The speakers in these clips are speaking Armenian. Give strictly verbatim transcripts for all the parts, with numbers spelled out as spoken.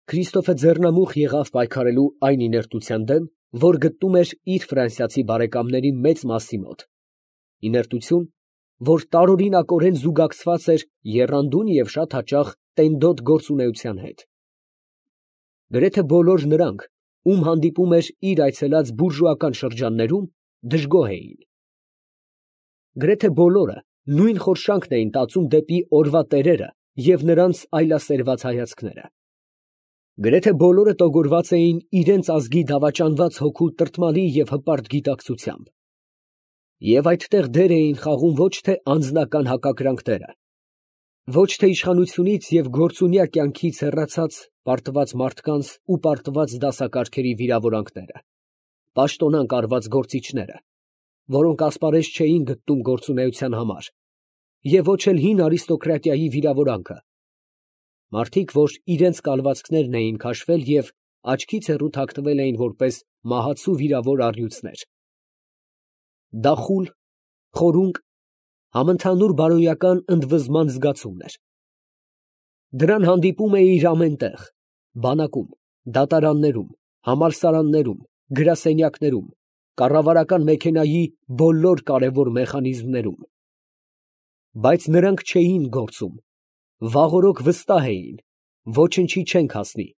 Քրիստոֆը ձեռնամուխ եղավ պայքարելու այն իներտության դեմ, որ գտնում էր իր ֆրանսիացի բարեկամների մեծ մասի մոտ, իներտություն, որ տարօրինակորեն զուգակցված էր եռանդուն և շատ հաճախ տենդոտ գործունեության հետ։ Գրեթե բոլոր նրանք, ում հանդիպում էր իր այցելած բուրժուական շրջաններում, դժգոհ էին։ Գրեթե բոլորը նույն խորշանքն էին տածում դեպի օրվա տերերը և նրանց այլասերված հայացքները։ Գրեթե բոլորը տոգորված էին իրենց ազգի դավաճանված հոգու տրտմալի և հպարտ գիտակցությամբ, և այդտեղ դեր էին խաղում ոչ թե անձնական հակակրանքները, ոչ թե իշխանությունից և գործունյա կյանքից հեռացած պարտված մարդկանց ու պարտված դասակարգերի վիրավորանքները, պաշտոնանկ արված գործիչները, որոնք ասպարեզ չէին գտնում գործունեության համար, և ոչ էլ հին արիստոկրատիայի վիրավորանքը, մարդիկ, որ իրենց կալվածքներն էին քաշվել և աչքից հեռու թաքնվել էին որպես մահացու վիրավոր առյուծներ։ Դա խուլ, խորունկ, համընդհանուր բարոյական ընդվզման զգացումն էր։ Դրան հանդիպում էիր ամեն տեղ, բանակում, դատարաններում, համալսարաններում, գրասենյակներում, կառավարական մեքենայի բոլոր կարևոր մեխանիզմներում։ Բայց նրանք չէին գործում, վաղօրոք վստահ էին, ոչնչի չենք հասնի,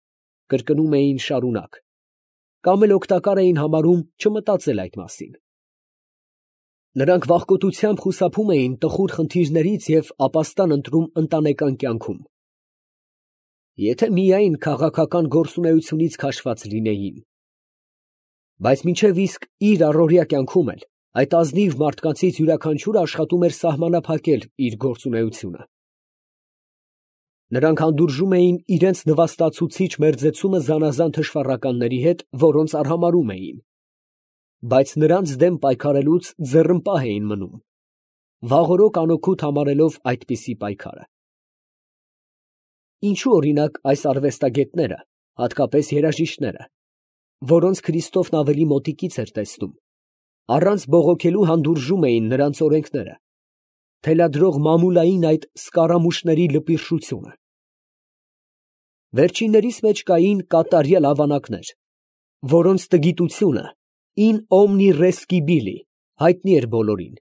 կրկնում էին շարունակ, կամ էլ օգտակար էին համարում չմտածել այդ մասին։ Նրանք վախկոտությամբ խուսափում էին տխուր խնդիրներից և ապաստան ընտրում ընտանեկան կյանքում։ Եթե միայն քաղաքական գործունեությունից քաշված լինեին։ Բայց մինչև իսկ իր առօրյա կյանքում էլ այդ ազնիվ մարդկանցից յուրաքանչյուրը աշխատում էր սահմանափակել իր գործունեությունը։ Նրանք հանդուրժում էին իրենց նվաստացուցիչ մերձեցումը զանազան թշվառականների հետ, որոնց արհամարհում էին, բայց նրանց դեմ պայքարելուց ձեռնպահ էին մնում, վաղօրոք անօգուտ համարելով այդպիսի պայքարը։ Ինչո՞ւ, օրինակ, այս արվեստագետները, հատկապես երաժիշտները, որոնց Քրիստոֆն ավելի մոտիկից էր տեսնում, առանց բողոքելու հանդուրժում էին նրանց օրենքները, թելադրող մամուլային այդ սկառամուշների լպիրշությունը։ Վերջիններիս մեջ կային կատարյալ ավանակներ, որոնց տգիտությունը in omni res scibili հայտնի էր բոլորին,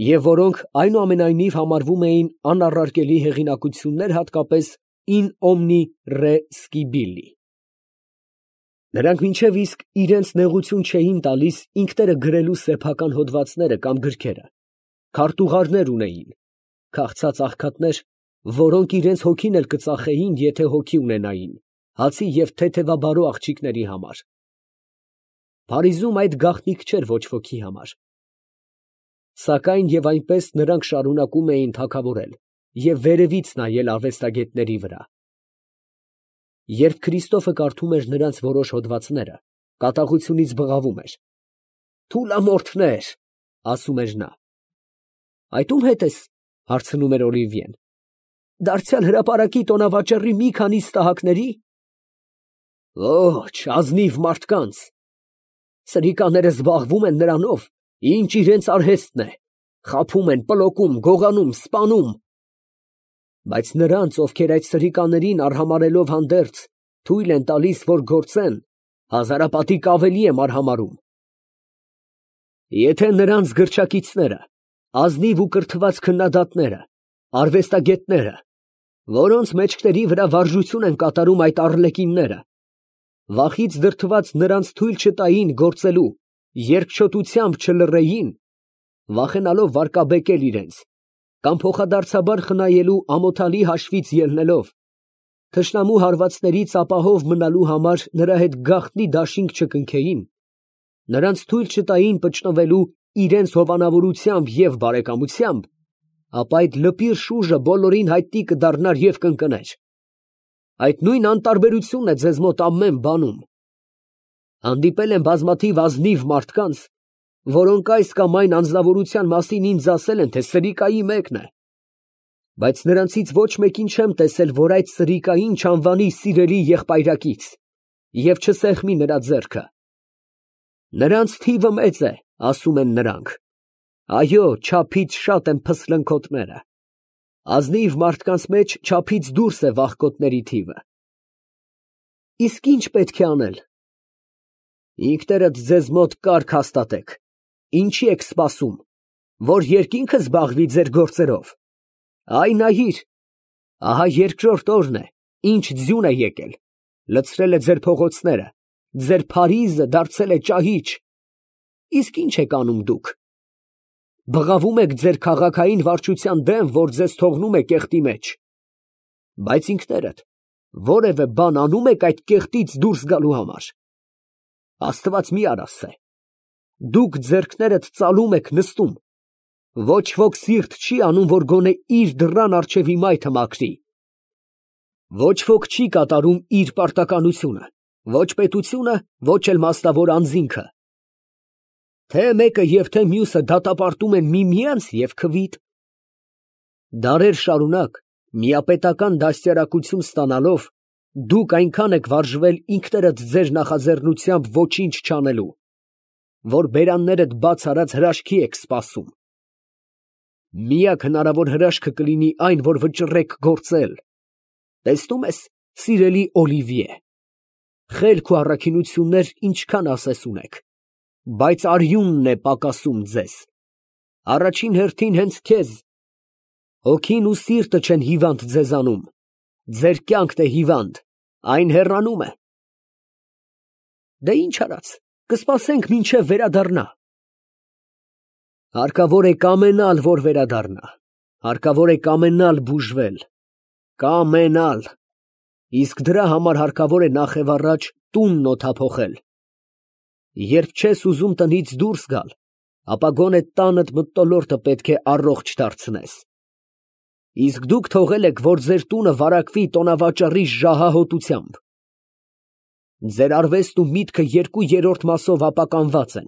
և որոնք այնուամենայնիվ համարվում էին անառարկելի հեղինակություններ, հատկապես in omni re scibili։ Նրանք մինչև իսկ իրենց նեղություն չէին տալիս ինքները գրելու սեփական հոդվածները կամ գրքերը, քարտուղարներ ունեին, քաղցած աղքատներ, որոնք իրենց հոգին էլ կծախեին, եթե հոգի ունենային, հացի և թեթևաբարո աղջիկների համար։ Փարիզում այդ գաղտնիք չէր ոչ ոքի համար։ Սակայն և այնպես նրանք շարունակում էին թագավորել և վերևից նայել արվեստագետների վրա։ Երբ Քրիստոֆը կարդում էր նրանց որոշ հոդվածները, կատաղությունից բղավում էր։ «Թուլամորթներ», ասում էր նա։ «Այդ ո՞ւմ հետ ես», հարցնում էր Օլիվիեն։ «Դարձյալ հրապարակի տոնավաճառի մի քանի ստահակների»։ «Ոչ, ազնիվ մարդկանց։ Սրիկաները զբաղվում են նրանով, ինչ իրենց արհեստն է, խաբում են, պլոկում, գողանում, սպանում։ Բայց նրանց, ովքեր այդ սրիկաներին արհամարհելով հանդերձ, թույլ են տալիս, որ գործեն, հազարապատիկ ավելի եմ արհամարհում։ Եթե նրանց գրչակիցները, ազնիվ ու կրթված քննադատները, արվեստագետները, որոնց մեջքների վրա վարժություն են կատարում այդ առլեկինները, վախից դրդված նրանց թույլ չտային գործելու, երկչոտությամբ չլռեին, վախենալով վարկաբեկել իրենց, կամ փոխադարձաբար խնայելու ամոթալի հաշվից ելնելով, թշնամու հարվածներից ապահով մնալու համար նրա հետ գաղտնի դաշինք չկնքեին, նրանց թույլ չտային պճնվելու իրենց հովանավորությամբ և բարեկամությամբ, ապա այդ լպիր շուժը բոլորին հայտնի կդառնար և կընկներ։ Այդ նույն անտարբերությունն է ձեզ մոտ ամեն բանում։ Հանդիպել եմ բազմաթիվ ազնիվ մարդկանց, որոնք այս կամ այն անձնավորության մասին ինձ ասել են, թե սրիկայի մեկն է, բայց նրանցից ոչ մեկին չեմ տեսել, որ այդ սրիկային չանվանի սիրելի եղբայրակից և չսեղմի նրա ձեռքը։ Նրանց թիվը մեծ է, ասում են նրանք։ Այո, չափից շատ են փսլնքոտները։ Ազնիվ մարդկանց մեջ չափից դուրս է վախկոտների թիվը։ Իսկ ինչ պետք է անել։ Ինքներդ ձեզ մոտ կարգ հաստատեք, ինչի եք սպասում, որ երկինքը զբաղվի ձեր գործերով։ Այ նայիր, ահա երկրորդ օրն է, ինչ ձյուն է եկել, լցրել է ձեր փողոցները, ձեր Փարիզը դարձել է ճահիճ։ Իսկ ինչ եք անում դուք։ Բղավում եք ձեր քաղաքային վարչության դեմ, որ ձեզ թողնում է կեղտի մեջ, բայց ինքներդ որևէ բան անում եք այդ կեղտից դուրս գալու համար։ Աստված մի արասե, դուք ձեռքներդ ծալում եք նստում, ոչ ոք սիրտ չի անում, որ գոնե իր դռան առջևի մայթը մաքրի։ Ոչ ոք չի կատարում իր պարտականությունը, ոչ պետությունը, ոչ էլ մասնավոր անձինքը։ Թե մեկը և թե մյուսը դատապարտում են միմյանց և քվիդ։ Դարեր շարունակ միապետական դաստիարակություն ստանալով, դուք այնքան եք վարժվել ինքներդ ձեր նախաձեռնությամբ ոչինչ չանելու, որ բերաններդ բաց արած հրաշքի եք սպասում։ Միակ հնարավոր հրաշքը կլինի այն, որ վճռեք գործել։ Տեսնում ես, սիրելի Օլիվիե, խելք ու առաքինություններ ինչքան ասես ունեք, բայց արյունն է պակասում ձեզ, առաջին հերթին հենց քեզ, հոգին ու սիրտը չեն հիվանդ ձեզանում, ձեր կյանքն է հիվանդ, այն հեռանում է։ Դե ինչ արած, կսպասենք մինչև վերադառնա։ Հարկավոր է կամենալ, որ վերադառնա, հարկավոր է կամենալ բուժվել, կամենալ, իսկ դրա համար հարկավոր է նախևառաջ տունն օդափոխել։ Երբ չես ուզում տնից դուրս գալ, ապա գոնե տանդ մթնոլորտը պետք է առողջ դարձնես։ Իսկ դուք թողել եք, որ ձեր տունը վարակվի տոնավաճառի ժահահոտությամբ։ Ձեր արվեստն ու միտքը երկու երրորդ մասով ապականված են։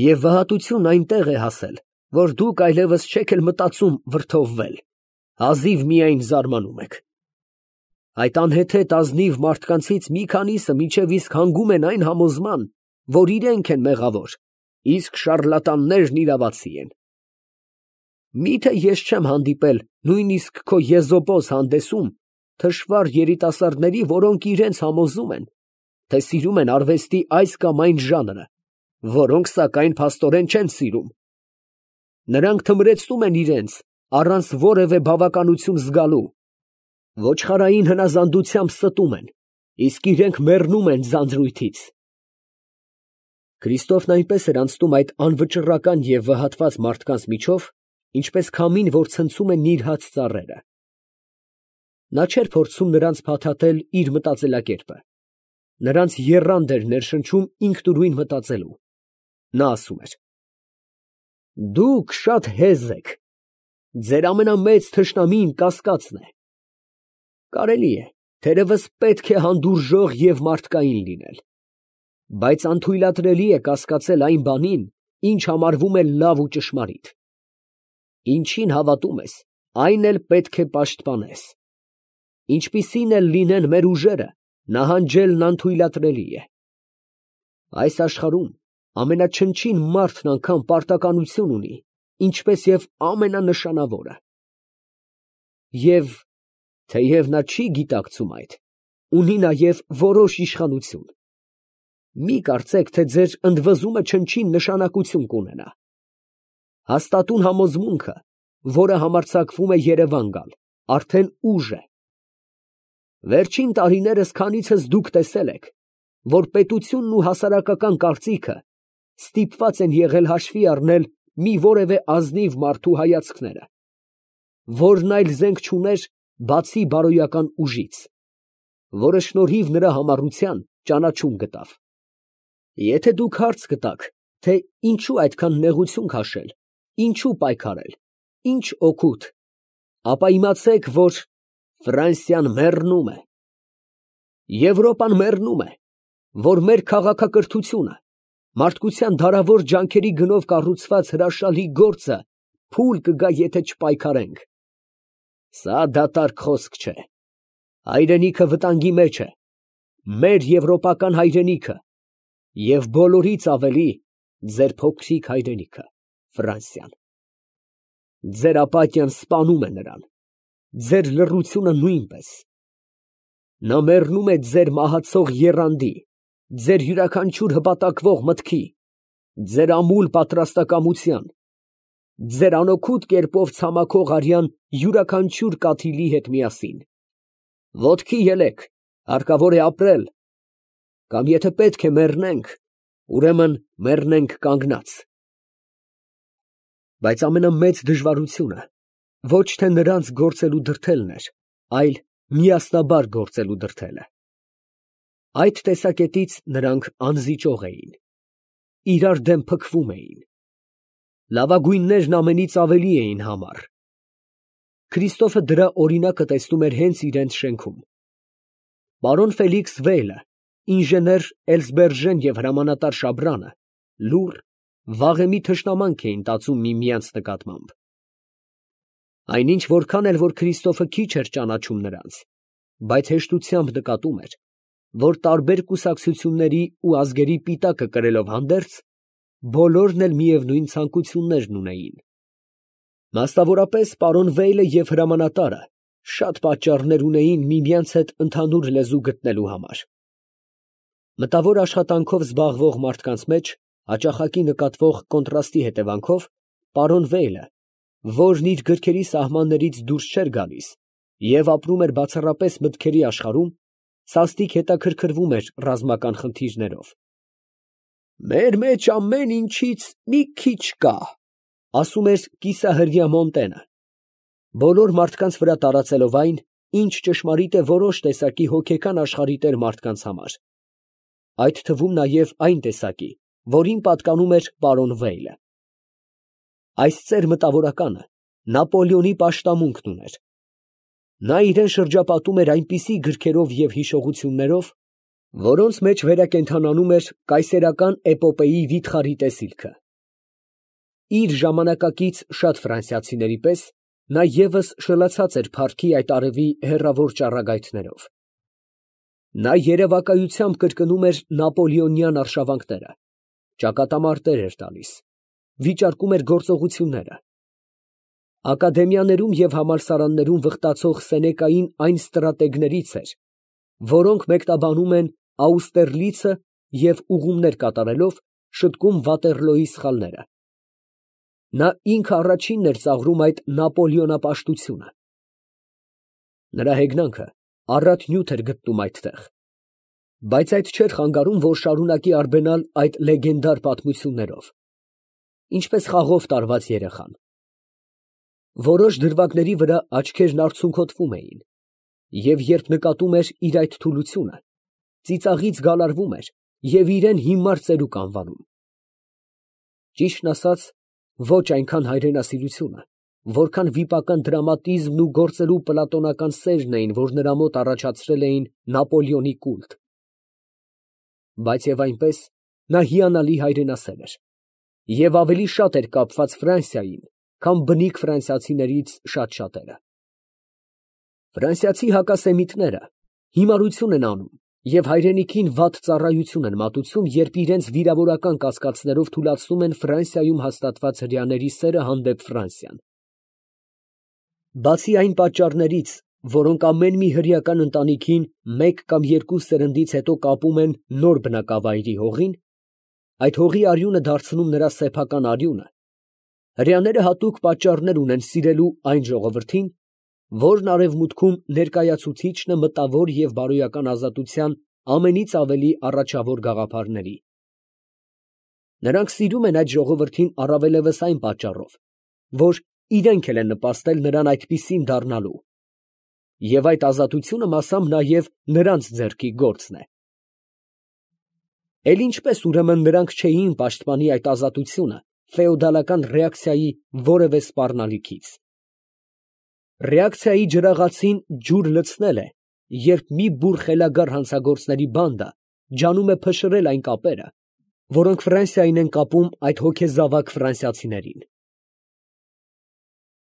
Եվ վհատությունն այնտեղ է հասել, որ դուք այլևս չեք էլ մտածում վրդովվել, հազիվ միայն զարմանում եք։ Այդ անհեթեթ ազնիվ մարդկանցից մի քանիսը մինչև իսկ հանգում են այն համոզման, որ իրենք են մեղավոր, իսկ շառլատաններն իրավացի են։ Միթե ես չեմ հանդիպել նույնիսկ քո եզոպոս հանդեսում թշվառ երիտասարդների, որոնք իրենց համոզում են, թե սիրում են արվեստի այս կամ այն ժանրը, որոնք սակայն փաստորեն չեն սիրում։ Նրանք թմրեցնում են իրենց, առանց որևէ բավականություն զգալու, ոչխարային հնազանդությամբ ստում են, իսկ իրենք մեռնում են ձանձրույթից։ Քրիստոֆն այնպես էր անցնում այդ անվճռական և վհատված մարդկանց միջով, ինչպես քամին, որ ցնցում է նիրհած ծառերը։ Նա չէր փորձում նրանց փաթաթել իր մտածելակերպը, նրանց եռանդ էր ներշնչում ինքնուրույն մտածելու։ Նա ասում էր. դուք շատ հեզ եք, ձեր ամենամեծ թշնամին կասկածն է։ Կարելի է, թերևս պետք է հանդուրժող և մարդկային լինել, բայց անթույլատրելի է կասկածել այն բանին, ինչ համարվում է լավ ու ճշմարիտ։ Ինչին հավատում ես, այն էլ պետք է պաշտպանես։ Ինչպիսին էլ լինեն մեր ուժերը, նահանջելն անթույլատրելի է։ Այս աշխարհում ամենաչնչին մարդն անգամ պարտականություն ունի, ինչպես և ամենանշանավորը։ Եվ թեև նա չի գիտակցում այդ, ունի նաև որոշ իշխանություն։ Մի կարծեք, թե ձեր ընդվզումը չնչին նշանակություն կունենա։ Հաստատուն համոզմունքը, որը համարձակվում է Երևան գալ, արդեն ուժ է։ Վերջին տարիներս քանիցս դուք տեսել եք, որ պետությունն ու հասարակական կարծիքը ստիպված են եղել հաշվի առնել մի որևէ ազնիվ մարդու հայացքները, որն այլ զենք չուներ, բացի բարոյական ուժից, որը շնորհիվ նրա համառության ճանաչում գտավ։ Եթե դուք հարց գտաք, թե ինչու այդքան նեղություն քաշել, ինչու պայքարել, ինչ օգուտ, ապա իմացեք, որ Ֆրանսիան մեռնում է, Եվրոպան մեռնում է, որ մեր քաղաքակրթությունը, մարդկության դարավոր ջանքերի գնով կառուցված հրաշալի գործը փուլ կգա, եթե չպայքարենք։ Սա դատարկ խոսք չէ։ Հայրենիքը վտանգի մեջ է, մեր եվրոպական հայրենիքը, և բոլորից ավելի ձեր փոքրիկ հայրենիքը, Ֆրանսիան։ Ձեր ապատյան սպանում է նրան, ձեր լռությունը նույնպես։ Նա մեռնում է ձեր մահացող եռանդի, ձեր յուրաքանչյուր հպատակվող մտքի, ձեր ամուլ պատրաստակամության, ձեր անօգուտ կերպով ցամաքող արյան յուրաքանչյուր կաթիլի հետ միասին։ Ոտքի ելեք, հարկավոր է ապրել, կամ եթե պետք է մեռնենք, ուրեմն մեռնենք կանգնած։ Բայց ամենամեծ դժվարությունը ոչ թե նրանց գործելու դրդելն էր, այլ միասնաբար գործելու դրդելը։ Այդ տեսակետից նրանք անզիջող էին, իրար դեմ փքվում էին, լավագույններն ամենից ավելի էին համառ։ Քրիստոֆը դրա օրինակը տեսնում էր հենց իրենց շենքում։ Պարոն Ֆելիքս Վեյլը, ինժեներ Էլզբերժեն և հրամանատար Շաբրանը լուռ, վաղեմի թշնամանք էին տածում միմյանց նկատմամբ։ Այնինչ որքան էլ որ Քրիստոֆը քիչ էր ճանաչում նրանց, բայց հեշտությամբ նկատում էր, որ տարբեր կուսակցությունների ու ազգերի պիտակը կրելով հանդերձ, բոլորն էլ միևնույն ցանկություններն ունեին։ Մասնավորապես պարոն Վեյլը և հրամանատարը շատ պատճառներ ունեին միմյանց հետ ընդհանուր լեզու գտնելու համար։ Մտավոր աշխատանքով զբաղվող մարդկանց մեջ հաճախակի նկատվող կոնտրաստի հետևանքով պարոն Վեյլը, որն իր գրքերի սահմաններից դուրս չէր գալիս և ապրում էր բացառապես մտքերի աշխարհում, սաստիկ հետաքրքրվում էր ռազմական խնդիրներով։ «Մեր մեջ ամեն ինչից մի քիչ կա», ասում էր կիսահրյա Մոնտենը, բոլոր մարդկանց վրա տարածելով այն, ինչ ճշմարիտ է որոշ տեսակի հոգեկան աշխարհի տեր մարդկանց համար, այդ թվում նաև այն տեսակի, որին պատկանում էր պարոն Վեյլը։ Այս ծեր մտավորականը Նապոլեոնի պաշտամունքն ուներ։ Նա իրեն շրջապատում էր այնպիսի գրքերով և հիշողություններով, որոնց մեջ վերակենդանանում էր կայսերական էպոպեի վիթխարի տեսիլքը։ Իր ժամանակակից շատ ֆրանսիացիների պես նա ևս շլացած էր փառքի այդ արևի հեռավոր ճառագայթներով։ Նա երևակայությամբ կրկնում էր նապոլեոնյան արշավանքները, ճակատամարտեր էր տալիս, վիճարկում էր գործողությունները։ Ակադեմիաներում և համալսարաններում վխտացող Սենեկային այն ստրատեգներից էր, որոնք մեկնաբանում են Աուստերլիցը և ուղումներ կատարելով շտկում Վատերլոյի սխալները։ Նա ինքը առաջինն էր ծաղրում այդ նապոլեոնապաշտությունը։ Նրա հեգնանքը առատ նյութ էր գտնում այդտեղ, բայց այդ չէր խանգարում, որ շարունակի արբենալ այդ լեգենդար պատմություններով, ինչպես խաղով տարված երեխան։ Որոշ դրվագների վրա աչքերն արցունքոտվում էին, և երբ նկատում էր իր այդ թուլությունը, ծիծաղից գալարվում էր և իրեն հիմար ծերուկ անվանում։ Ճիշտն ասած, ոչ այնքան հայրենասիրությունը, որքան վիպական դրամատիզմն ու գործելու պլատոնական սերն էին, որ նրա մոտ առաջացրել էին Նապոլեոնի կուլտ։ Բայց և այնպես նա հիանալի հայրենասեր էր և ավելի շատ էր կապված Ֆրանսիային, քան բնիկ ֆրանսիացիներից շատ շատերը։ Ֆրանսիացի հակասեմիտները հիմարություն են անում և հայրենիքին վատ ծառայություն են մատուցում, երբ իրենց վիրավորական կասկածներով թուլացնում են Ֆրանսիայում հաստատված հրեաների սերը հանդեպ Ֆրանսիան։ Բացի այն պատճառներից, որոնք ամեն մի հրեական ընտանիքին մեկ կամ երկու սերնդից հետո կապում են նոր բնակավայրի հողին, այդ հողի արյունը դարձնում նրա սեփական արյունը, հրեաները հատուկ պատճառներ ունեն սիրելու այն ժողովրդին, որն արևմուտքում ներկայացուցիչն է մտավոր և բարոյական ազատության ամենից ավելի առաջավոր գաղափարների։ Նրանք սիրում են այդ ժողովրդին առավելևս այն պատճառով, որ իրենք էլ են նպաստել նրան այդպիսին դառնալու, և այդ ազատությունը մասամբ նաև նրանց ձեռքի գործն է։ Էլ ինչպես ուրեմն նրանք չէին պաշտպանի այդ ազատությունը ֆեոդալական ռեակցիայի որևէ սպառնալիքից։ Ռեակցիայի ջրաղացին ջուր լցնել է, երբ մի բուռ խելագար հանցագործների բանդա ջանում է փշրել այն կապերը, որոնք Ֆրանսիային են կապում այդ հոգեզավակ ֆրանսիացիներին։